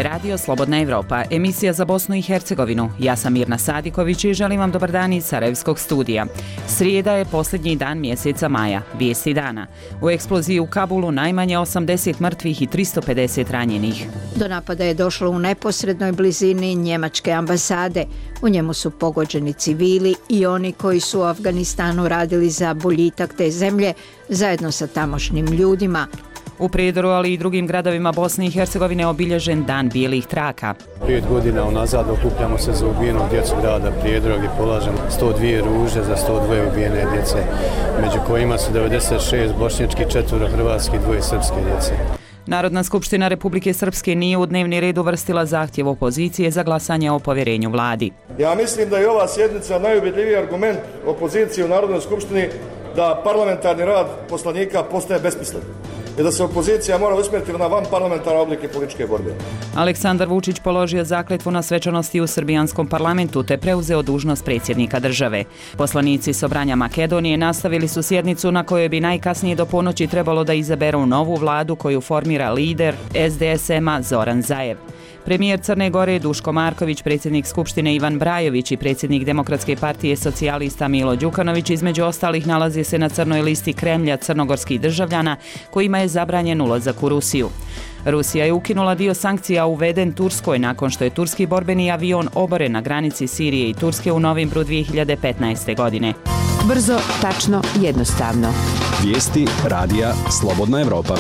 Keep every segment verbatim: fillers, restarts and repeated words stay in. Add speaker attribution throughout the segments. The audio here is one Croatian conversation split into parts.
Speaker 1: je radio Slobodna Evropa, emisija za Bosnu i Hercegovinu. Ja sam Mirna Sadiković i želim vam dobar dan iz Sarajevskog studija. Srijeda je posljednji dan mjeseca maja, vijesti dana. U eksploziji u Kabulu najmanje osamdeset mrtvih i tristo pedeset ranjenih.
Speaker 2: Do napada je došlo u neposrednoj blizini njemačke ambasade. U njemu su pogođeni civili i oni koji su u Afganistanu radili za boljitak te zemlje zajedno sa tamošnjim ljudima.
Speaker 1: U Prijedoru, ali i drugim gradovima Bosne i Hercegovine obilježen Dan bijelih traka.
Speaker 3: Pet godina unazad okupljamo se za ubijenog djecu grada Prijedora gdje polažemo sto dvije ruže za sto dvije ubijene djece, među kojima su devedeset šest bošnjački, četvoro hrvatski, dvoje srpske djece.
Speaker 1: Narodna skupština Republike Srpske nije u dnevni red uvrstila zahtjev opozicije za glasanje o povjerenju vladi.
Speaker 4: Ja mislim da je ova sjednica najubjedljiviji argument opozicije u Narodnoj skupštini da parlamentarni rad poslanika postaje besmislen i da se opozicija mora usmjeriti na van parlamentarne oblike političke borbe.
Speaker 1: Aleksandar Vučić položio zakletvu na svečanosti u srbijanskom parlamentu te preuzeo dužnost predsjednika države. Poslanici Sobranja Makedonije nastavili su sjednicu na kojoj bi najkasnije do ponoći trebalo da izaberu novu vladu koju formira lider S D S M-a Zoran Zaev. Premijer Crne Gore Duško Marković, predsjednik Skupštine Ivan Brajović i predsjednik Demokratske partije socijalista Milo Đukanović između ostalih nalazi se na crnoj listi Kremlja crnogorskih državljana kojima je zabranjen ulazak u Rusiju. Rusija je ukinula dio sankcija uveden Turskoj nakon što je turski borbeni avion oboren na granici Sirije i Turske u novembru dvije hiljade petnaeste. godine.
Speaker 5: Brzo, tačno, jednostavno.
Speaker 6: Vijesti radija Slobodna Evropa.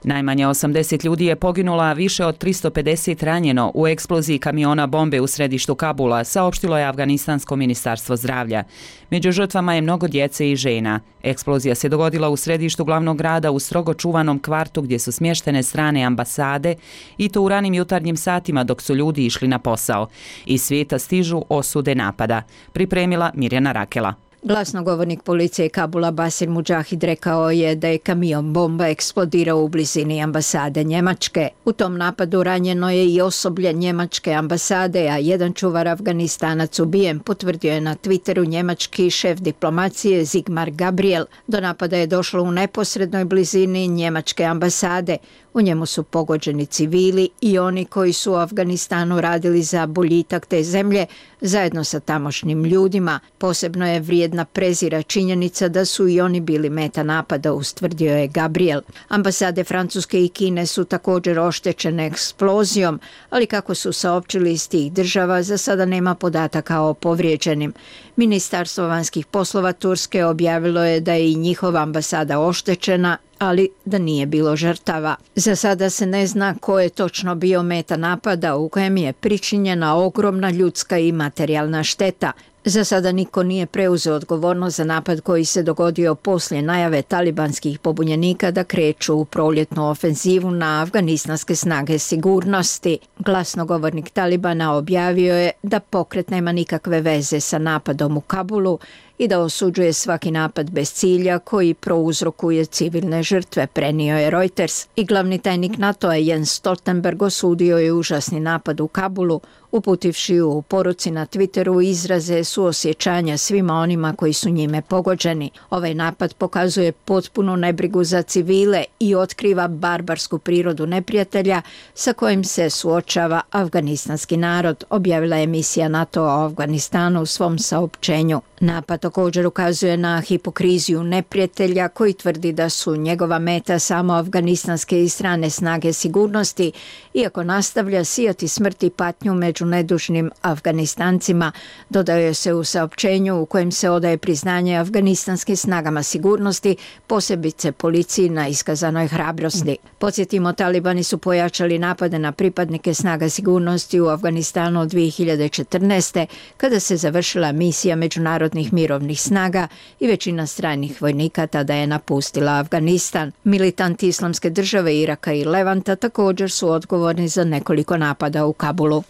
Speaker 1: Najmanje osamdeset ljudi je poginulo, a više od tristo pedeset ranjeno u eksploziji kamiona bombe u središtu Kabula, saopštilo je Afganistansko ministarstvo zdravlja. Među žrtvama je mnogo djece i žena. Eksplozija se dogodila u središtu glavnog grada u strogo čuvanom kvartu gdje su smještene strane ambasade i to u ranim jutarnjim satima dok su ljudi išli na posao. Iz svijeta stižu osude napada. Pripremila Mirjana Rakela.
Speaker 2: Glasnogovornik policije Kabula Basir Mudžahid rekao je da je kamion bomba eksplodirao u blizini ambasade Njemačke. U tom napadu ranjeno je i osoblje njemačke ambasade, a jedan čuvar Afganistanac ubijen, potvrdio je na Twitteru njemački šef diplomacije Sigmar Gabriel. Do napada je došlo u neposrednoj blizini njemačke ambasade. U njemu su pogođeni civili i oni koji su u Afganistanu radili za boljitak te zemlje zajedno sa tamošnjim ljudima. Posebno je vrijedna prezira činjenica da su i oni bili meta napada, ustvrdio je Gabriel. Ambasade Francuske i Kine su također oštećene eksplozijom, ali kako su saopćili iz tih država, za sada nema podataka o povrijeđenim. Ministarstvo vanjskih poslova Turske objavilo je da je i njihova ambasada oštećena, ali da nije bilo žrtava. Za sada se ne zna ko je točno bio meta napada u kojem je pričinjena ogromna ljudska i materijalna šteta. Za sada niko nije preuzeo odgovornost za napad koji se dogodio poslije najave talibanskih pobunjenika da kreću u proljetnu ofenzivu na afganistanske snage sigurnosti. Glasnogovornik Talibana objavio je da pokret nema nikakve veze sa napadom u Kabulu i da osuđuje svaki napad bez cilja koji prouzrokuje civilne žrtve, prenio je Reuters. I glavni tajnik NATO-a Jens Stoltenberg osudio je užasni napad u Kabulu, uputivši u poruci na Twitteru izraze suosjećanja svima onima koji su njime pogođeni. Ovaj napad pokazuje potpunu nebrigu za civile i otkriva barbarsku prirodu neprijatelja sa kojim se suočava afganistanski narod, objavila je emisija NATO-a o Afganistanu u svom saopćenju. Napad također ukazuje na hipokriziju neprijatelja koji tvrdi da su njegova meta samo afganistanske i strane snage sigurnosti, iako nastavlja sijati smrt i patnju među nedužnim Afganistancima, dodaje se u saopćenju u kojem se odaje priznanje afganistanskim snagama sigurnosti, posebice policiji na iskazanoj hrabrosti. Podsjetimo, talibani su pojačali napade na pripadnike snaga sigurnosti u Afganistanu od dvije hiljade četrnaeste. kada se završila misija međunarodnih mirovnih snaga i većina stranih vojnika tada je napustila Afganistan. Militanti Islamske države Iraka i Levanta također su odgovorni za nekoliko napada u Kabulu.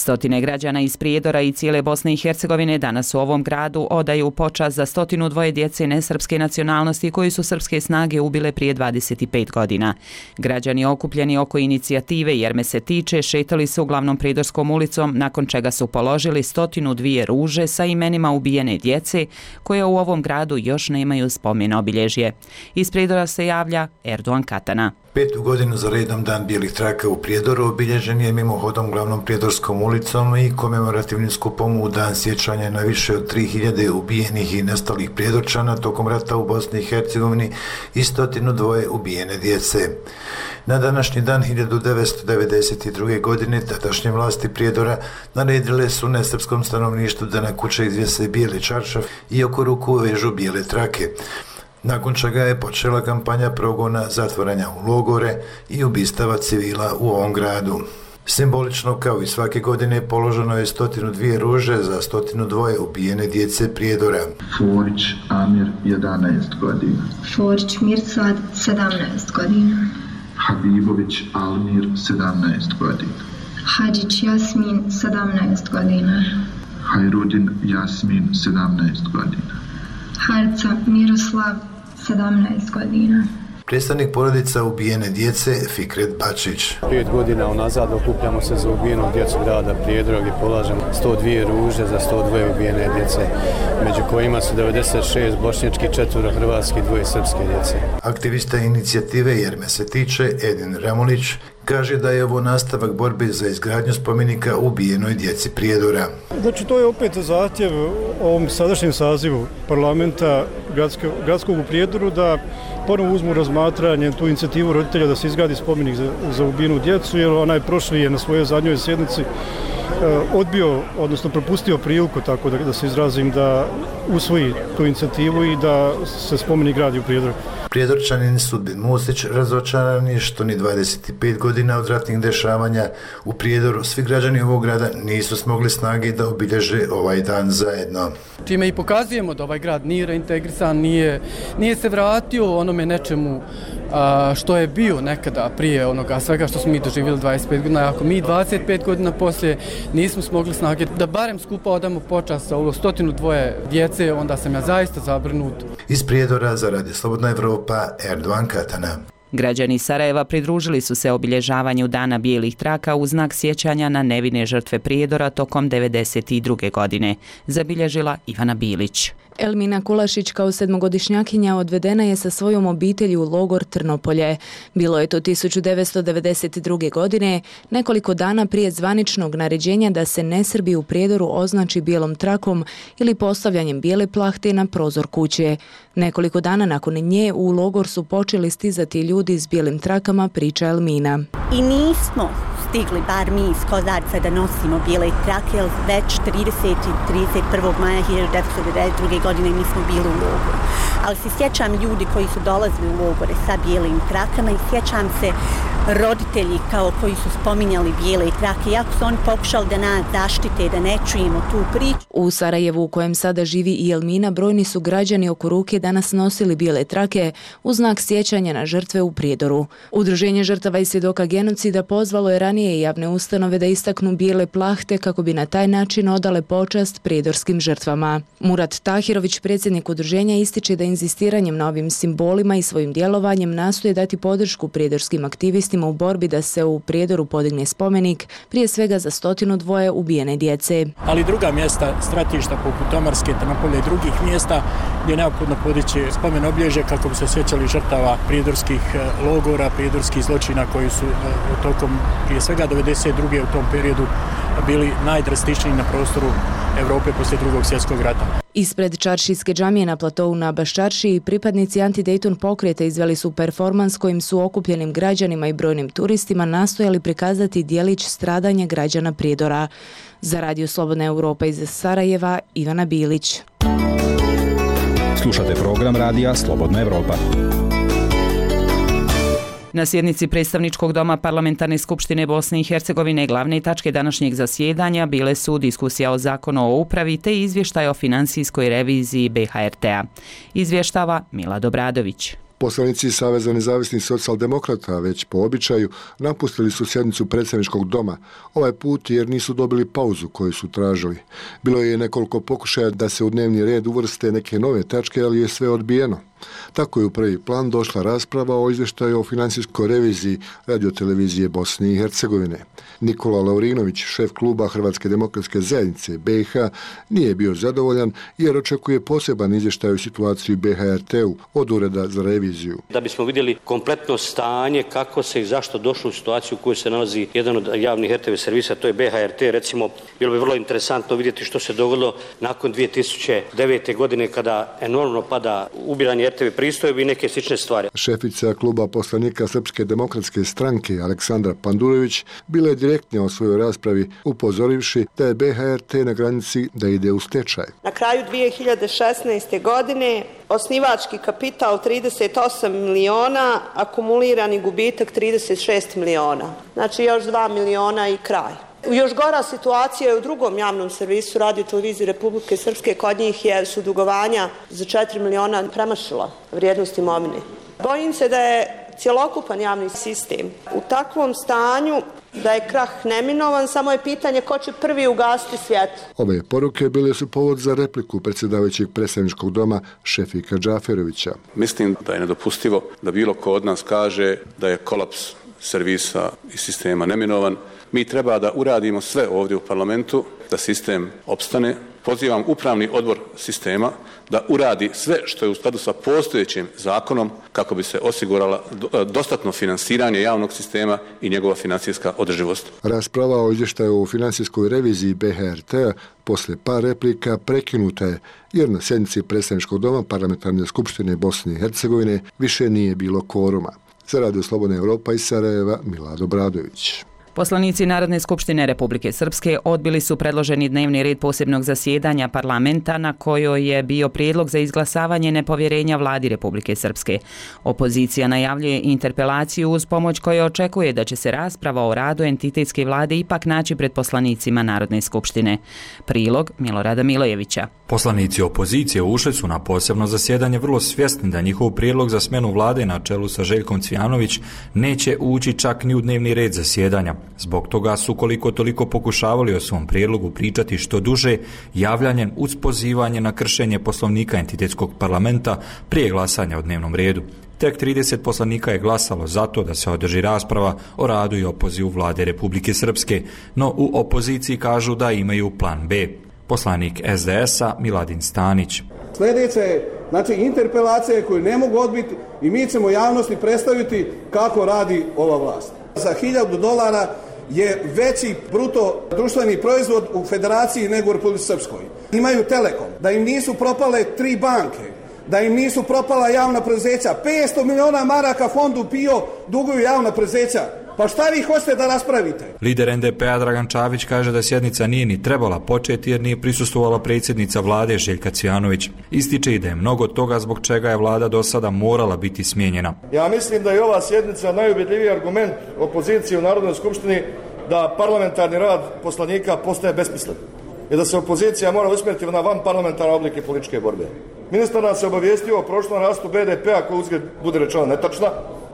Speaker 1: Stotine građana iz Prijedora i cijele Bosne i Hercegovine danas u ovom gradu odaju počast za stotinu dvoje djece nesrpske nacionalnosti koji su srpske snage ubile prije dvadeset pet godina. Građani okupljeni oko inicijative Jer me se tiče šetali su uglavnom Prijedorskom ulicom, nakon čega su položili stotinu dvije ruže sa imenima ubijene djece koje u ovom gradu još nemaju spomen obilježje. Iz Prijedora se javlja Erdogan Katana.
Speaker 7: Petu godinu za redom Dan bijelih traka u Prijedoru obilježen je mimohodom glavnom Prijedorskom ulicom i komemorativnim skupom u dan sjećanja na više od tri hiljade ubijenih i nestalih Prijedorčana tokom rata u Bosni i Hercegovini i stotinu dvoje ubijene djece. Na današnji dan hiljadu devetsto devedeset druge. godine tadašnje vlasti Prijedora naredile su nesrpskom stanovništvu da na kuće izvjese bijeli čaršaf i oko ruku vežu bijele trake, nakon čega je počela kampanja progona, zatvaranja u logore i ubistava civila u ovom gradu. Simbolično, kao i svake godine, položeno je stotinu dvije ruže za stotinu dvoje ubijene djece Prijedora.
Speaker 8: Forić Amir, jedanaest godina.
Speaker 9: Forić Mirsad, sedamnaest godina.
Speaker 8: Habibović Almir, sedamnaest godina.
Speaker 9: Hadžić Jasmin, sedamnaest godina.
Speaker 8: Hajrudin Jasmin, sedamnaest godina.
Speaker 9: Harca Miroslav, sedamnaest godina.
Speaker 7: Predstavnik porodica ubijene djece Fikret Bačić.
Speaker 3: Pet godina unazad okupljamo se za ubijenu djecu grada Prijedora gdje polažemo sto dvije ruže za sto dvoje ubijene djece, među kojima su devedeset šest bošnjački, četvoro hrvatski, dvoje srpske djece.
Speaker 7: Aktivista inicijative Jer me se tiče Edin Ramulić kaže da je ovo nastavak borbe za izgradnju spomenika ubijenoj djeci Prijedora.
Speaker 10: Znači, to je opet zahtjev ovom sadašnjem sazivu parlamenta gradskog, gradskog u Prijedoru da ponovno uzmu razmatranje tu inicijativu roditelja da se izgradi spomenik za, za ubijenu djecu, jer onaj prošli je na svojoj zadnjoj sjednici odbio, odnosno propustio priliku, tako da, da se izrazim, da usvoji tu inicijativu i da se spomenik gradi u Prijedoru.
Speaker 7: Prijedorčanin Sudbin Musić razočaran je što ni dvadeset pet godina od ratnih dešavanja u Prijedoru svi građani ovog grada nisu smogli snage da obilježe ovaj dan zajedno.
Speaker 11: Čime i pokazujemo da ovaj grad nije reintegrisan, nije, nije se vratio onome nečemu a, što je bio nekada prije onoga svega što smo mi doživjeli dvadeset pet godina. Ako mi dvadeset pet godina poslije nismo smogli snage da barem skupa odamo počast za ovo stotinu dvoje djece, onda sam ja zaista zabrinut.
Speaker 7: Iz Prijedora za Radio Slobodna Evropa, Erdogan Katana.
Speaker 1: Građani Sarajeva pridružili su se obilježavanju Dana bijelih traka u znak sjećanja na nevine žrtve Prijedora tokom devedeset druge. godine, zabilježila Ivana Bilić.
Speaker 12: Elmina Kulašić kao sedmogodišnjakinja odvedena je sa svojom obitelji u logor Trnopolje. Bilo je to tisuću devetsto devedeset druge. godine, nekoliko dana prije zvaničnog naređenja da se nesrbi u Prijedoru označi bijelom trakom ili postavljanjem bijele plahte na prozor kuće. Nekoliko dana nakon nje u logor su počeli stizati ljudi s bijelim trakama, priča Elmina.
Speaker 13: I nismo stigli, bar mi iz Kozarca, da nosimo bijele trake, jer već trideset i trideset prvog maja hiljadu devetsto devedeset druge. godine mi smo bili u logoru. Ali se sjećam ljudi koji su dolazili u logore sa bijelim trakama i sjećam se roditelji kao koji su spominjali bijele trake, iako su oni pokušali da nas zaštite, da ne čujemo tu priču.
Speaker 12: U Sarajevu, u kojem sada živi i Elmina, brojni su građani oko ruke danas nosili bijele trake u znak sjećanja na žrtve u Prijedoru. Udruženje žrtava i svjedoka genocida pozvalo je ranije javne ustanove da istaknu bijele plahte kako bi na taj način odale počast prijedorskim žrtvama. Murat Tahirović, predsjednik udruženja, ističe da inzistiranjem na ovim simbolima i svojim djelovanjem nastoje dati podršku prijedorskim aktivistima u borbi da se u Prijedoru podigne spomenik, prije svega za stotinu dvoje ubijene djece.
Speaker 14: Ali druga mjesta, stratišta poput Tomarske, Trnopolje i drugih mjesta gdje je neophodno podići spomen obilježje kako bi se sjećali žrtava prijedorskih logora, prijedorskih zločina koji su tokom prije svega devedeset druge. u tom periodu bili najdrastičniji na prostoru Europe poslije drugog svjetskog rata.
Speaker 12: Ispred Čaršijske džamije na platovu na Baščaršiji pripadnici Anti-Dayton pokreta izveli su performans kojim su okupljenim građanima i brojnim turistima nastojali prikazati djelić stradanja građana Prijedora. Za Radio Slobodna Evropa iz Sarajeva, Ivana Bilić.
Speaker 6: Slušate program Radija Slobodna Evropa.
Speaker 1: Na sjednici predstavničkog doma Parlamentarne skupštine Bosne i Hercegovine glavne tačke današnjeg zasjedanja bile su diskusija o zakonu o upravi te izvještaj o finansijskoj reviziji B H R T-a. Izvještava Milad Obradović.
Speaker 15: Poslanici Saveza nezavisnih socijaldemokrata već po običaju napustili su sjednicu predsjedničkog doma, ovaj put jer nisu dobili pauzu koju su tražili. Bilo je nekoliko pokušaja da se u dnevni red uvrste neke nove tačke, ali je sve odbijeno. Tako je u prvi plan došla rasprava o izvještaju o financijskoj reviziji radiotelevizije Bosne i Hercegovine. Nikola Laurinović, šef kluba Hrvatske demokratske zajednice B i H, nije bio zadovoljan jer očekuje poseban izvještaj o situaciji B H R T-u od Ureda za reviziju.
Speaker 16: Da bismo vidjeli kompletno stanje, kako se i zašto došlo u situaciju u kojoj se nalazi jedan od javnih R T V servisa, to je B H R T, recimo, bilo bi vrlo interesantno vidjeti što se dogodilo nakon dvije tisuće devete. godine kada enormno pada ubiranje R T V pristojbi i neke slične stvari.
Speaker 15: Šefica kluba poslanika Srpske demokratske stranke Aleksandra Pandurević bila je direktnija o svojoj raspravi, upozorivši da je B H R T na granici da ide u stečaj.
Speaker 17: Na kraju dvije hiljade šesnaeste. godine osnivački kapital trideset osam miliona, akumulirani gubitak trideset šest miliona. Znači još dva miliona i kraj. Još gora situacija je u drugom javnom servisu Radio televizije Republike Srpske. Kod njih je su dugovanja za četiri miliona premašila vrijednost imovine. Bojim se da je cjelokupan javni sistem u takvom stanju da je krah neminovan, samo je pitanje ko će prvi ugasiti svjetlo.
Speaker 15: Ove poruke bile su povod za repliku predsjedavajućeg predstavničkog doma Šefika Džaferovića.
Speaker 18: Mislim da je nedopustivo da bilo ko od nas kaže da je kolaps servisa i sistema neminovan. Mi treba da uradimo sve ovdje u parlamentu da sistem opstane. Pozivam upravni odbor sistema da uradi sve što je u skladu sa postojećim zakonom kako bi se osigurala dostatno finansiranje javnog sistema i njegova financijska održivost.
Speaker 15: Rasprava o izvještaju o financijskoj reviziji B H R T-a posle par replika prekinuta je jer na sjednici predstavničkog doma Parlamentarne skupštine Bosne i Hercegovine više nije bilo kvoruma. Za Radio Slobodna Evropa iz Sarajeva, Milad Obradović.
Speaker 1: Poslanici Narodne skupštine Republike Srpske odbili su predloženi dnevni red posebnog zasjedanja parlamenta na kojoj je bio prijedlog za izglasavanje nepovjerenja vladi Republike Srpske. Opozicija najavljuje interpelaciju uz pomoć koje očekuje da će se rasprava o radu entitetske vlade ipak naći pred poslanicima Narodne skupštine. Prilog Milorada Milojevića.
Speaker 19: Poslanici opozicije ušli su na posebno zasjedanje vrlo svjesni da njihov prijedlog za smjenu vlade na čelu sa Željkom Cvijanović neće ući čak ni u dnevni red zasjedanja. Zbog toga su koliko toliko pokušavali o svom prijedlogu pričati što duže, javljanjem uz pozivanje na kršenje poslovnika entitetskog parlamenta prije glasanja o dnevnom redu. Tek trideset poslanika je glasalo za to da se održi rasprava o radu i opozivu vlade Republike Srpske, no u opoziciji kažu da imaju plan B. Poslanik S D S-a Miladin Stanić.
Speaker 20: Sljedeće je znači interpelacije koju ne mogu odbiti i mi ćemo javnosti predstaviti kako radi ova vlast. Za hiljadu dolara je veći bruto društveni proizvod u federaciji nego u Republici Srpskoj. Imaju Telekom, da im nisu propale tri banke, da im nisu propala javna preduzeća. petsto miliona maraka fondu P I O duguju javna preduzeća. Pa šta vi hoćete da raspravite?
Speaker 19: Lider N D P-a Dragan Čavić kaže da sjednica nije ni trebala početi jer nije prisustvovala predsjednica vlade Željka Cvijanović. Ističe i da je mnogo toga zbog čega je vlada do sada morala biti smijenjena.
Speaker 4: Ja mislim da je ova sjednica najubedljiviji argument opozicije u Narodnoj skupštini da parlamentarni rad poslanika postaje besmislen i da se opozicija mora usmjeriti na van parlamentarne oblike političke borbe. Ministar nas je obavijestio o prošlom rastu B D P-a koji uzgled bude rečeno netačna.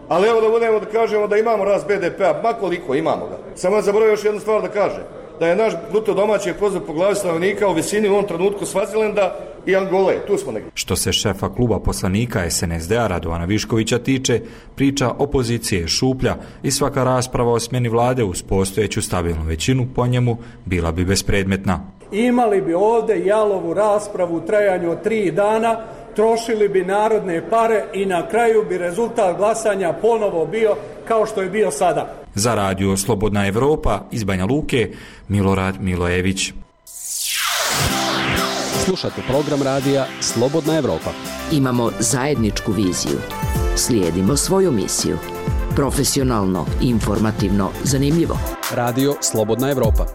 Speaker 4: Ali evo da budemo da kažemo da imamo rast B D P-a, ma koliko imamo ga. Samo ne zaboravio još jednu stvar da kaže, da je naš bruto domaći proizvod po glavi stanovnika u visini u ovom trenutku Svazilenda i Angole, tu smo negdje.
Speaker 19: Što se šefa kluba poslanika S N S D-a Radovana Viškovića tiče, priča opozicije je šuplja i svaka rasprava o smjeni vlade uz postojeću stabilnu većinu po njemu bila bi bespredmetna.
Speaker 21: Imali bi ovdje jalovu raspravu u trajanju od tri dana, trošili bi narodne pare i na kraju bi rezultat glasanja ponovo bio kao što je bio sada.
Speaker 19: Za Radio Slobodna Evropa iz Banja Luke, Milorad Milojević.
Speaker 22: Slušate program radija Slobodna Evropa.
Speaker 5: Imamo zajedničku viziju. Slijedimo svoju misiju. Profesionalno, informativno, zanimljivo.
Speaker 22: Radio Slobodna Evropa.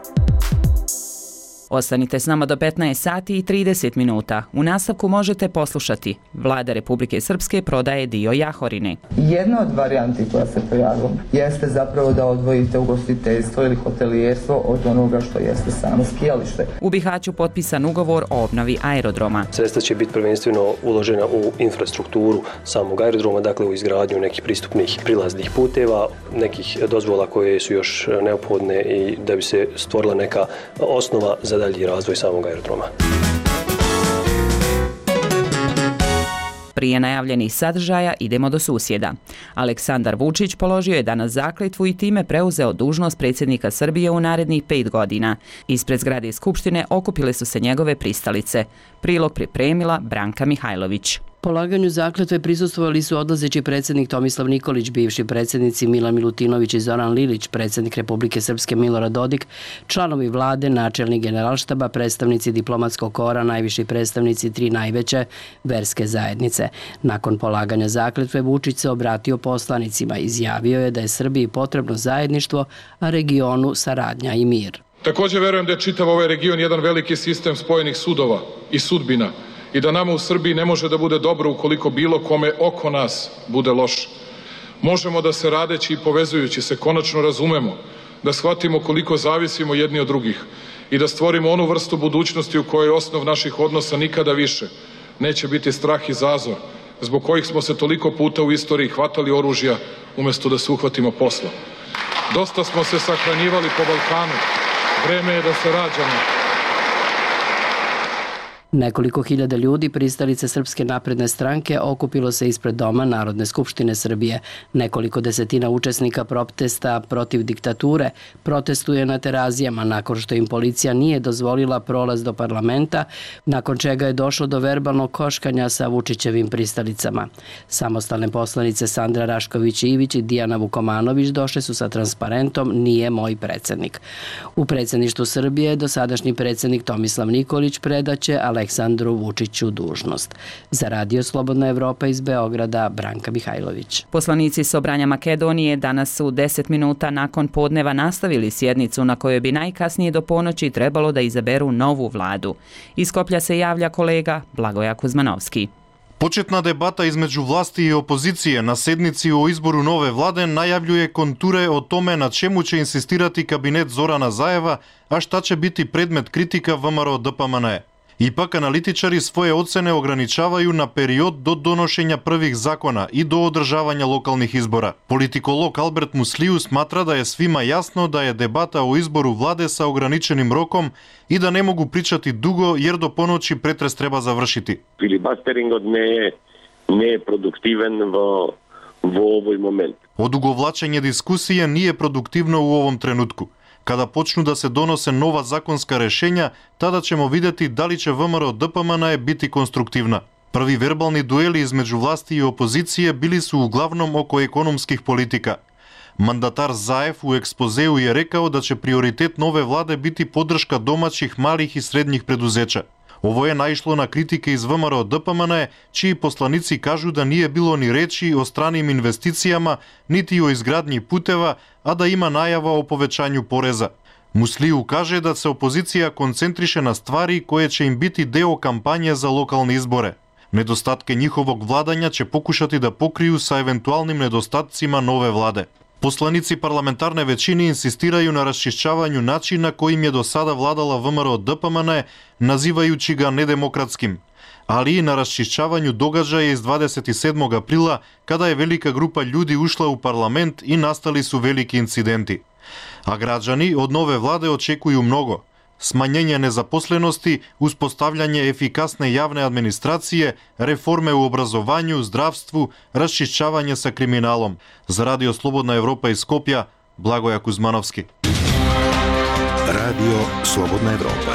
Speaker 1: Ostanite s nama do petnaest sati i trideset minuta. U nastavku možete poslušati. Vlada Republike Srpske prodaje dio Jahorine.
Speaker 2: Jedna od varijanti koja se pojavila jeste zapravo da odvojite ugostiteljstvo ili hotelijerstvo od onoga što jeste samo skijalište.
Speaker 1: U Bihaću potpisan ugovor o obnovi aerodroma.
Speaker 8: Sredstva će biti prvenstveno uložena u infrastrukturu samog aerodroma, dakle u izgradnju nekih pristupnih prilaznih puteva, nekih dozvola koje su još neophodne i da bi se stvorila neka osnova za dalji razvoj samog aerodroma.
Speaker 1: Prije najavljenih sadržaja idemo do susjeda. Aleksandar Vučić položio je danas zakletvu i time preuzeo dužnost predsjednika Srbije u narednih pet godina. Ispred zgrade Skupštine okupile su se njegove pristalice. Prilog pripremila Branka Mihajlović.
Speaker 23: Polaganju zakletve prisustvovali su odlazeći predsjednik Tomislav Nikolić, bivši predsjednici Milan Milutinović i Zoran Lilić, predsjednik Republike Srpske Milorad Dodik, članovi vlade, načelnik generalštaba, predstavnici diplomatskog kora, najviši predstavnici tri najveće verske zajednice. Nakon polaganja zakletve Vučić se obratio poslanicima, izjavio je da je Srbiji potrebno zajedništvo, a regionu saradnja i mir.
Speaker 24: Također verujem da je čitav ovaj region jedan veliki sistem spojenih sudova i sudbina, i da nama u Srbiji ne može da bude dobro ukoliko bilo kome oko nas bude loše. Možemo da se radeći i povezujući se konačno razumemo, da shvatimo koliko zavisimo jedni od drugih i da stvorimo onu vrstu budućnosti u kojoj osnov naših odnosa nikada više neće biti strah i zazor, zbog kojih smo se toliko puta u istoriji hvatali oružja umjesto da se uhvatimo posla. Dosta smo se sahranjivali po Balkanu, vreme je da se rađamo.
Speaker 23: Nekoliko hiljada ljudi, pristalice Srpske napredne stranke, okupilo se ispred Doma Narodne skupštine Srbije. Nekoliko desetina učesnika protesta protiv diktature protestuje na Terazijama nakon što im policija nije dozvolila prolaz do parlamenta, nakon čega je došlo do verbalnog koškanja sa Vučićevim pristalicama. Samostalne poslanice Sandra Rašković-Ivić i Dijana Vukomanović došle su sa transparentom "Nije moj predsjednik". U predsjedništvu Srbije dosadašnji predsjednik Tomislav Nikolić predaće Aleksandru Vučiću dužnost. Za Radio Slobodna Evropa iz Beograda, Branka Mihajlović.
Speaker 1: Poslanici Sobranja Makedonije danas su deset minuta nakon podneva nastavili sjednicu na kojoj bi najkasnije do ponoći trebalo da izaberu novu vladu. Iz Skoplja se javlja kolega Blagoja Kuzmanovski.
Speaker 25: Početna debata između vlasti i opozicije na sednici o izboru nove vlade najavljuje konture o tome na čemu će insistirati kabinet Zorana Zaeva, a šta će biti predmet kritika V M R O D P M N E. Ipak analitičari svoje ocene ograničavaju na period do donošenja prvih zakona i do održavanja lokalnih izbora. Politikolog Albert Musliju smatra da je svima jasno da je debata o izboru vlade sa ograničenim rokom i da ne mogu pričati dugo jer do ponoći pretres treba završiti.
Speaker 26: Filibusteringът не е не е продуктивен во во овој момент.
Speaker 25: Odugovlačenje diskusije nije produktivno u ovom trenutku. Kada počnu da se donose nova zakonska rešenja, tada ćemo vidjeti da li će V M R O D P M N E biti konstruktivna. Prvi verbalni dueli između vlasti i opozicije bili su uglavnom oko ekonomskih politika. Mandatar Zaev u ekspozeu je rekao da će prioritet nove vlade biti podrška domaćih malih i srednjih preduzeća. Ovo je naišlo na kritike iz V M R O D P M N E, čiji poslanici kažu da nije bilo ni reči o stranim investicijama, niti o izgradnji puteva, a da ima najava o povećanju poreza. Musliju kaže da se opozicija koncentriše na stvari koje će im biti deo kampanje za lokalne izbore. Nedostatke njihovog vladanja će pokušati da pokriju sa eventualnim nedostatcima nove vlade. Poslanici parlamentarne većine insistiraju na raščišćavanju načina kojim je do sada vladala V M R O D P M N E, nazivajući ga nedemokratskim, ali i na raščišćavanju događaja iz dvadeset sedmog aprila, kada je velika grupa ljudi ušla u parlament i nastali su veliki incidenti. A građani od nove vlade očekuju mnogo. Smanjenje nezaposlenosti, uspostavljanje efikasne javne administracije, reforme u obrazovanju, zdravstvu, raščišćavanje sa kriminalom. Za Radio Slobodna Evropa iz Skopja, Blagoja Kuzmanovski.
Speaker 27: Radio Slobodna Evropa.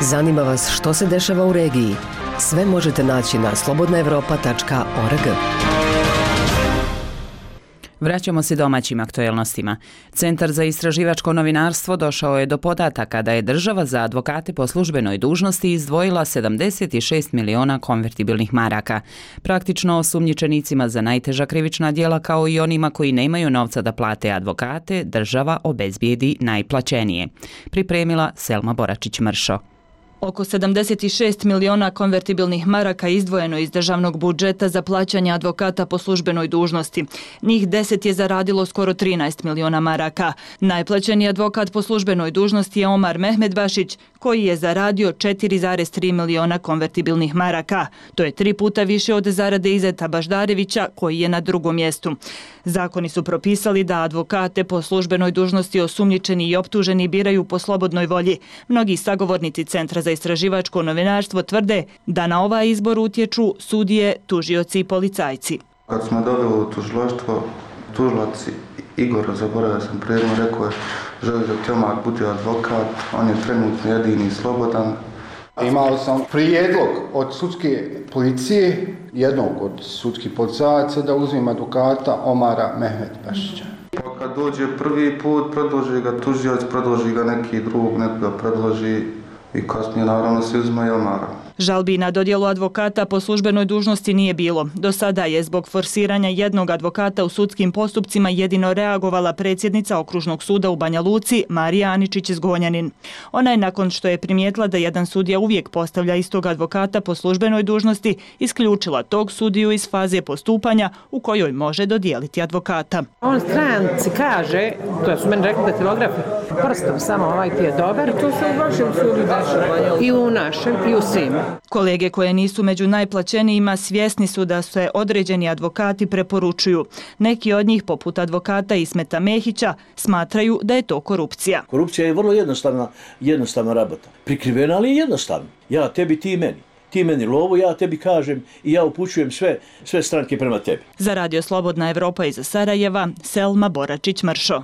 Speaker 28: Zanima vas što se dešava u regiji? Sve možete naći na slobodna evropa tačka org.
Speaker 1: Vraćamo se domaćim aktuelnostima. Centar za istraživačko novinarstvo došao je do podataka da je država za advokate po službenoj dužnosti izdvojila sedamdeset šest miliona konvertibilnih maraka. Praktično osumnjičenicima za najteža krivična djela kao i onima koji nemaju novca da plate advokate, država obezbijedi najplaćenije. Pripremila Selma Boračić-Mršo.
Speaker 3: Oko sedamdeset šest miliona konvertibilnih maraka izdvojeno iz državnog budžeta za plaćanje advokata po službenoj dužnosti. Njih deset je zaradilo skoro trinaest miliona maraka. Najplaćeniji advokat po službenoj dužnosti je Omar Mehmedbašić, koji je zaradio četiri zarez tri miliona konvertibilnih maraka. To je tri puta više od zarade Izeta Baždarevića, koji je na drugom mjestu. Zakoni su propisali da advokate po službenoj dužnosti osumnjičeni i optuženi biraju po slobodnoj volji. Mnogi sagovornici Centra za istraživačko novinarstvo tvrde da na ovaj izbor utječu sudije, tužioci i policajci.
Speaker 7: Kad smo dobili u tužilaštvo, tužilac Igor, zaboravio sam predno, rekao je želi da Tjomar bude advokat, on je trenutno jedini slobodan.
Speaker 9: Imao sam prijedlog od sudske policije, jednog od sudskih policajaca, da uzmem advokata Omara Mehmedbašića.
Speaker 7: Pa kad dođe prvi put, predloži ga tužioc, predloži ga neki drug, neko ga predloži i kasnije naravno se uzma i Omara.
Speaker 3: Žalbi na dodjelu advokata po službenoj dužnosti nije bilo. Do sada je zbog forsiranja jednog advokata u sudskim postupcima jedino reagovala predsjednica Okružnog suda u Banja Luci, Marija Aničić-Zgonjanin. Ona je, nakon što je primijetila da jedan sudija uvijek postavlja istog advokata po službenoj dužnosti, isključila tog sudiju iz faze postupanja u kojoj može dodijeliti advokata.
Speaker 10: On stranci kaže, to su meni rekli da telegrafi, prstom samo ovaj ti je dobar, to se u vašem sudu dešava i u našem i u svim.
Speaker 3: Kolege koje nisu među najplaćenijima svjesni su da se određeni advokati preporučuju. Neki od njih, poput advokata Ismeta Mehića, smatraju da je to korupcija.
Speaker 11: Korupcija je vrlo jednostavna, jednostavna rabota. Prikrivena, ali jednostavna. Ja tebi, ti meni. Ti meni lovu, ja tebi kažem i ja upućujem sve, sve stranke prema tebi.
Speaker 3: Za Radio Slobodna Evropa iz Sarajeva, Selma Boračić-Mršo.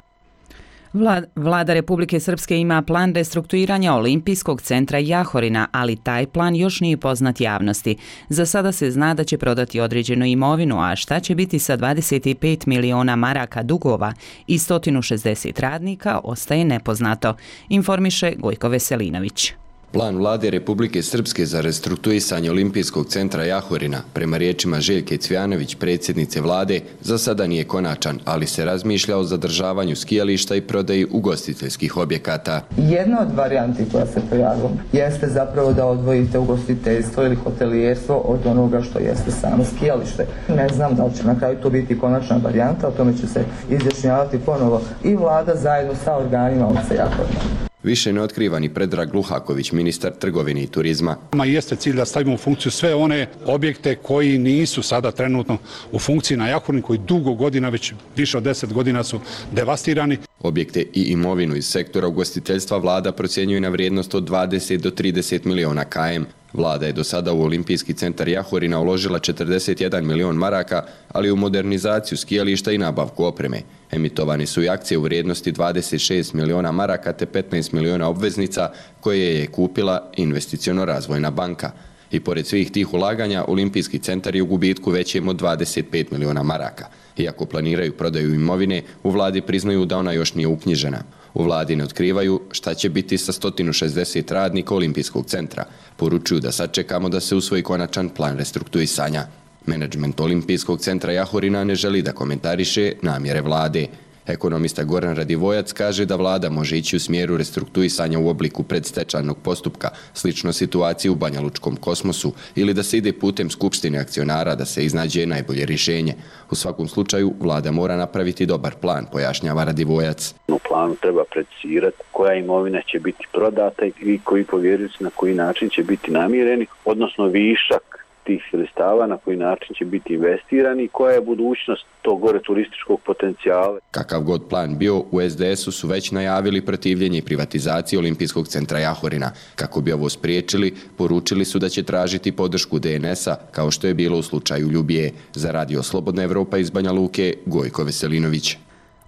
Speaker 1: Vlada Republike Srpske ima plan restrukturiranja Olimpijskog centra Jahorina, ali taj plan još nije poznat javnosti. Za sada se zna da će prodati određenu imovinu, a šta će biti sa dvadeset pet miliona maraka dugova i sto šezdeset radnika ostaje nepoznato, informiše Gojko Veselinović.
Speaker 13: Plan vlade Republike Srpske za restrukturisanje Olimpijskog centra Jahorina, prema riječima Željke Cvijanović, predsjednice vlade, za sada nije konačan, ali se razmišlja o zadržavanju skijališta i prodaji ugostiteljskih objekata.
Speaker 2: Jedna od varijanti koja se pojavila jeste zapravo da odvojite ugostiteljstvo ili hotelijerstvo od onoga što jeste samo skijalište. Ne znam da li će na kraju to biti konačna varijanta, o tome će se izjašnjavati ponovo i vlada zajedno sa organima Olca Jahorina.
Speaker 13: Više ne otkriva ni Predrag Luhaković, ministar trgovine i turizma.
Speaker 14: Jeste cilj da stavimo u funkciju sve one objekte koji nisu sada trenutno u funkciji na Jahorinu, koji dugo godina, već više od deset godina su devastirani.
Speaker 13: Objekte i imovinu iz sektora ugostiteljstva vlada procjenjuje na vrijednost od dvadeset do trideset miliona km. Vlada je do sada u Olimpijski centar Jahorina uložila četrdeset jedan milion maraka, ali u modernizaciju skijališta i nabavku opreme. Emitovani su i akcije u vrijednosti dvadeset šest miliona maraka te petnaest miliona obveznica koje je kupila Investiciono-razvojna banka. I pored svih tih ulaganja, Olimpijski centar je u gubitku većem od dvadeset pet miliona maraka. Iako planiraju prodaju imovine, u vladi priznaju da ona još nije uknjižena. U vladi ne otkrivaju šta će biti sa sto šezdeset radnika Olimpijskog centra. Poručuju da sačekamo da se usvoji konačan plan restrukturisanja. Menadžment Olimpijskog centra Jahorina ne želi da komentariše namjere vlade. Ekonomista Goran Radivojac kaže da vlada može ići u smjeru restrukturisanja u obliku predstečajnog postupka, slično situaciji u Banja Lučkom Kosmosu, ili da se ide putem skupštine akcionara da se iznađe najbolje rješenje. U svakom slučaju, vlada mora napraviti dobar plan, pojašnjava Radivojac.
Speaker 27: U planu treba precizirati koja imovina će biti prodata i koji povjerioci na koji način će biti namireni, odnosno višak tih sredstava na koji način će biti investirani i koja je budućnost tog gore turističkog potencijala.
Speaker 13: Kakav god plan bio, u es de esu su već najavili protivljenje privatizacije Olimpijskog centra Jahorina. Kako bi ovo spriječili, poručili su da će tražiti podršku de en esa, kao što je bilo u slučaju Ljubije. Za Radio Slobodna Evropa iz Banja Luke, Gojko Veselinović.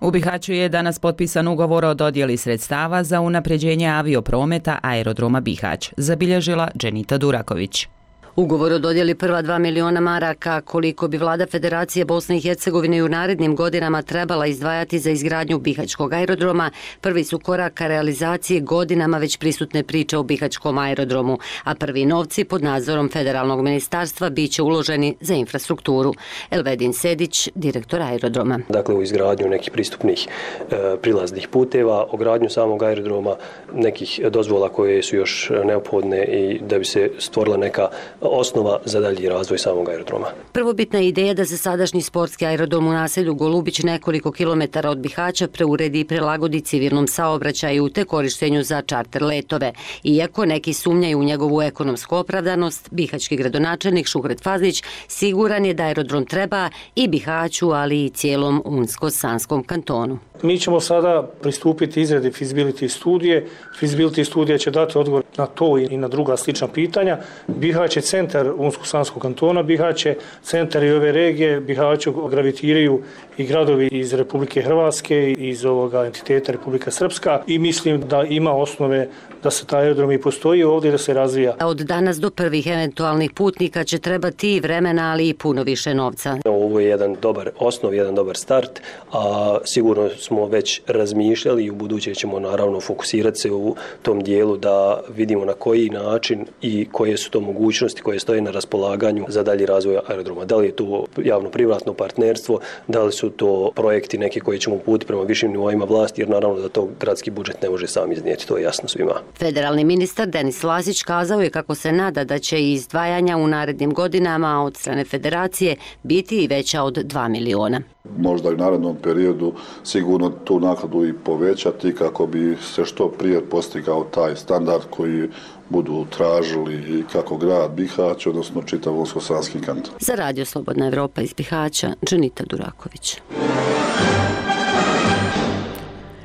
Speaker 1: U Bihaću je danas potpisan ugovor o dodjeli sredstava za unapređenje avioprometa aerodroma Bihać, zabilježila Dženita Duraković.
Speaker 4: Ugovor o dodjeli prva dva miliona maraka, koliko bi vlada Federacije Bosne i Hercegovine u narednim godinama trebala izdvajati za izgradnju Bihaćkog aerodroma, prvi su korak ka realizacije godinama već prisutne priče o Bihaćkom aerodromu, a prvi novci pod nadzorom Federalnog ministarstva bit će uloženi za infrastrukturu. Elvedin Sedić, direktor aerodroma.
Speaker 8: Dakle, u izgradnju nekih pristupnih e, prilaznih puteva, o gradnju samog aerodroma, nekih dozvola koje su još neophodne i da bi se stvorila neka osnova za dalji razvoj samog aerodroma.
Speaker 4: Prvobitna je ideja da se sadašnji sportski aerodrom u naselju Golubić nekoliko kilometara od Bihaća preuredi i prilagodi civilnom saobraćaju te korištenju za čarter letove. Iako neki sumnjaju u njegovu ekonomsku opravdanost, bihaćki gradonačelnik Šuhret Fazlić siguran je da aerodrom treba i Bihaću, ali i cijelom Unsko-Sanskom kantonu.
Speaker 6: Mi ćemo sada pristupiti izradi feasibility studije. Feasibility studija će dati odgovor na to i na druga slična pitanja. Bihać je centar Unsko-Sanskog kantona, Bihać je centar i ove regije, Bihaću gravitiraju i gradovi iz Republike Hrvatske, iz ovoga entiteta Republika Srpska i mislim da ima osnove da se taj aerodrom i postoji ovdje da se razvija.
Speaker 4: Od danas do prvih eventualnih putnika će trebati i vremena, ali i puno više novca.
Speaker 8: Ovo je jedan dobar osnov, jedan dobar start, a sigurno smo već razmišljali i u buduće ćemo naravno fokusirati se u tom dijelu da vidimo na koji način i koje su to mogućnosti koje stoje na raspolaganju za dalji razvoj aerodroma. Da li je to javno-privatno partnerstvo, da li su to projekti neki koji ćemo uputiti prema višim nivoima vlasti, jer naravno da to gradski budžet ne može sam iznijeti, to je jasno svima.
Speaker 4: Federalni ministar Denis Lasić kazao je kako se nada da će izdvajanja u narednim godinama od strane Federacije biti i veća od dva miliona.
Speaker 12: Možda i u narednom periodu sigurno tu naknadu i povećati kako bi se što prije postigao taj standard koji budu tražili i kako grad Bihać, odnosno čitav Unsko-Sanski kanton.
Speaker 4: Za Radio Slobodna Evropa iz Bihaća, Dženita Duraković.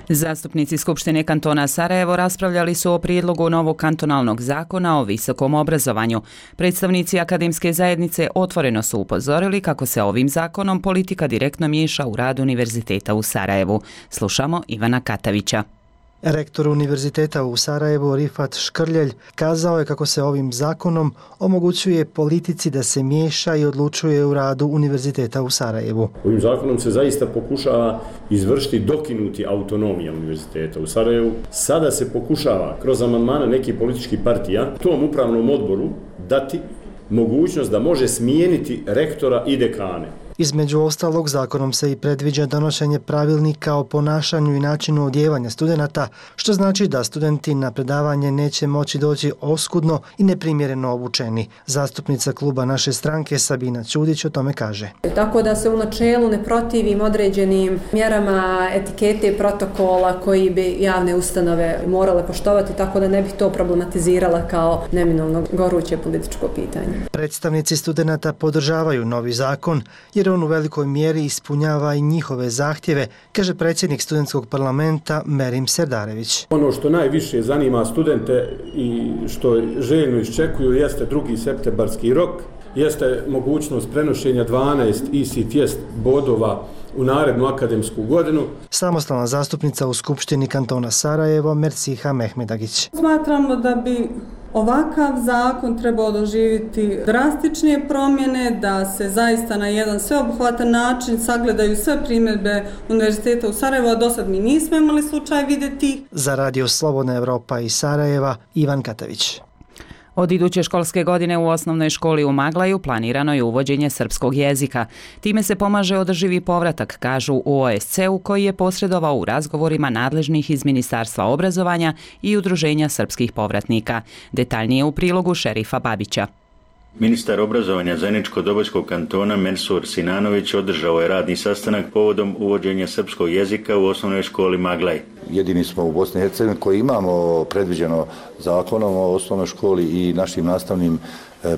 Speaker 1: Zastupnici Skupštine kantona Sarajevo raspravljali su o prijedlogu novog kantonalnog zakona o visokom obrazovanju. Predstavnici akademske zajednice otvoreno su upozorili kako se ovim zakonom politika direktno miješa u rad univerziteta u Sarajevu. Slušamo Ivana Katavića.
Speaker 15: Rektor Univerziteta u Sarajevu Rifat Škrljelj kazao je kako se ovim zakonom omogućuje politici da se miješa i odlučuje u radu Univerziteta u Sarajevu.
Speaker 16: Ovim zakonom se zaista pokušava izvršiti dokinuti autonomija Univerziteta u Sarajevu. Sada se pokušava kroz amandmane nekih političkih partija tom upravnom odboru dati mogućnost da može smijeniti rektora i dekane.
Speaker 15: Između ostalog, zakonom se i predviđa donošenje pravilnika o ponašanju i načinu odjevanja studenata, što znači da studenti na predavanje neće moći doći oskudno i neprimjereno obučeni. Zastupnica kluba naše stranke Sabina Ćudić o tome kaže.
Speaker 17: Tako da se u načelu ne protivim određenim mjerama etikete i protokola koji bi javne ustanove morale poštovati, tako da ne bih to problematizirala kao neminovno goruće političko pitanje.
Speaker 15: Predstavnici studenata podržavaju novi zakon jer on u velikoj mjeri ispunjava i njihove zahtjeve, kaže predsjednik studentskog parlamenta Merim Serdarević.
Speaker 16: Ono što najviše zanima studente i što željno iščekuju jeste drugi septembarski rok, jeste mogućnost prenošenja dvanaest E C T S bodova u narednu akademsku godinu.
Speaker 15: Samostalna zastupnica u Skupštini kantona Sarajevo Merciha Mehmedagić.
Speaker 18: Smatramo da bi ovakav zakon trebao doživjeti drastičnije promjene, da se zaista na jedan sveobuhvatan način sagledaju sve primjedbe Univerziteta u Sarajevu, a do sad mi nismo imali slučaj vidjeti.
Speaker 15: Za Radio Slobodna Evropa iz Sarajeva, Ivan Katavić.
Speaker 1: Od iduće školske godine u osnovnoj školi u Maglaju planirano je uvođenje srpskog jezika. Time se pomaže održivi povratak, kažu u O S C-u koji je posredovao u razgovorima nadležnih iz Ministarstva obrazovanja i Udruženja srpskih povratnika. Detaljnije u prilogu Šerifa Babića.
Speaker 20: Ministar obrazovanja Zeničko-Dobojskog kantona Mensur Sinanović održao je radni sastanak povodom uvođenja srpskog jezika u osnovnoj školi Maglaj.
Speaker 29: Jedini smo u Bosni i Hercegovini koji imamo predviđeno zakonom o osnovnoj školi i našim nastavnim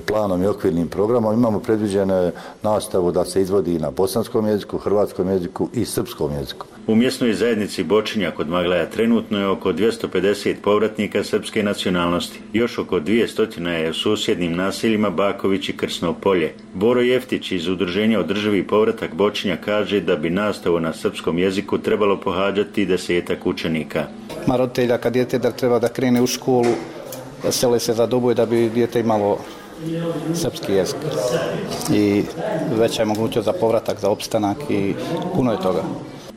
Speaker 29: planom i okvirnim programom. Imamo predviđenu nastavu da se izvodi na bosanskom jeziku, hrvatskom jeziku i srpskom jeziku.
Speaker 20: U mjesnoj zajednici Bočinja kod Maglaja trenutno je oko dvjesto pedeset povratnika srpske nacionalnosti. Još oko dvjesto je u susjednim naseljima Baković i Krsno polje. Boro Jeftić iz Udruženja Održivi povratak Bočinja kaže da bi nastavu na srpskom jeziku trebalo pohađati desetak učenika.
Speaker 30: Ma roditelja kad dijete da treba da krene u školu, sele se za dobu da bi dijete imalo
Speaker 5: srpski jezik i veća je mogućnost za povratak, za opstanak i puno je toga.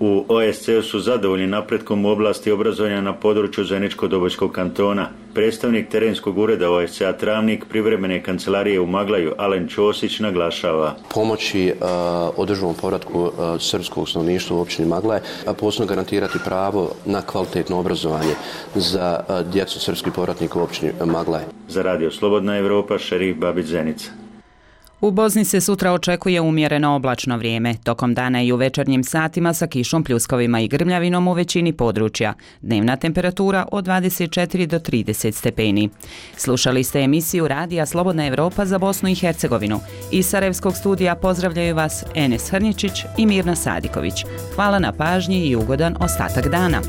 Speaker 20: U O S C-u su zadovoljni napretkom u oblasti obrazovanja na području Zeničko-Dobojskog kantona. Predstavnik terenskog ureda O S C-a Travnik privremene kancelarije u Maglaju Alen Ćosić naglašava.
Speaker 19: Pomoći uh, održivom povratku uh, srpskog stanovništva u općini Maglaj, a posebno garantirati pravo na kvalitetno obrazovanje za uh, djecu srpskih povratnika u općini Maglaj.
Speaker 20: Za Radio Slobodna Evropa, Šerif Babić Zenica.
Speaker 1: U Bosni se sutra očekuje umjereno oblačno vrijeme, tokom dana i u večernjim satima sa kišom, pljuskovima i grmljavinom u većini područja. Dnevna temperatura od dvadeset četiri do trideset stepeni. Slušali ste emisiju Radija Slobodna Evropa za Bosnu i Hercegovinu. Iz Sarajevskog studija pozdravljaju vas Enes Hrničić i Mirna Sadiković. Hvala na pažnji i ugodan ostatak dana.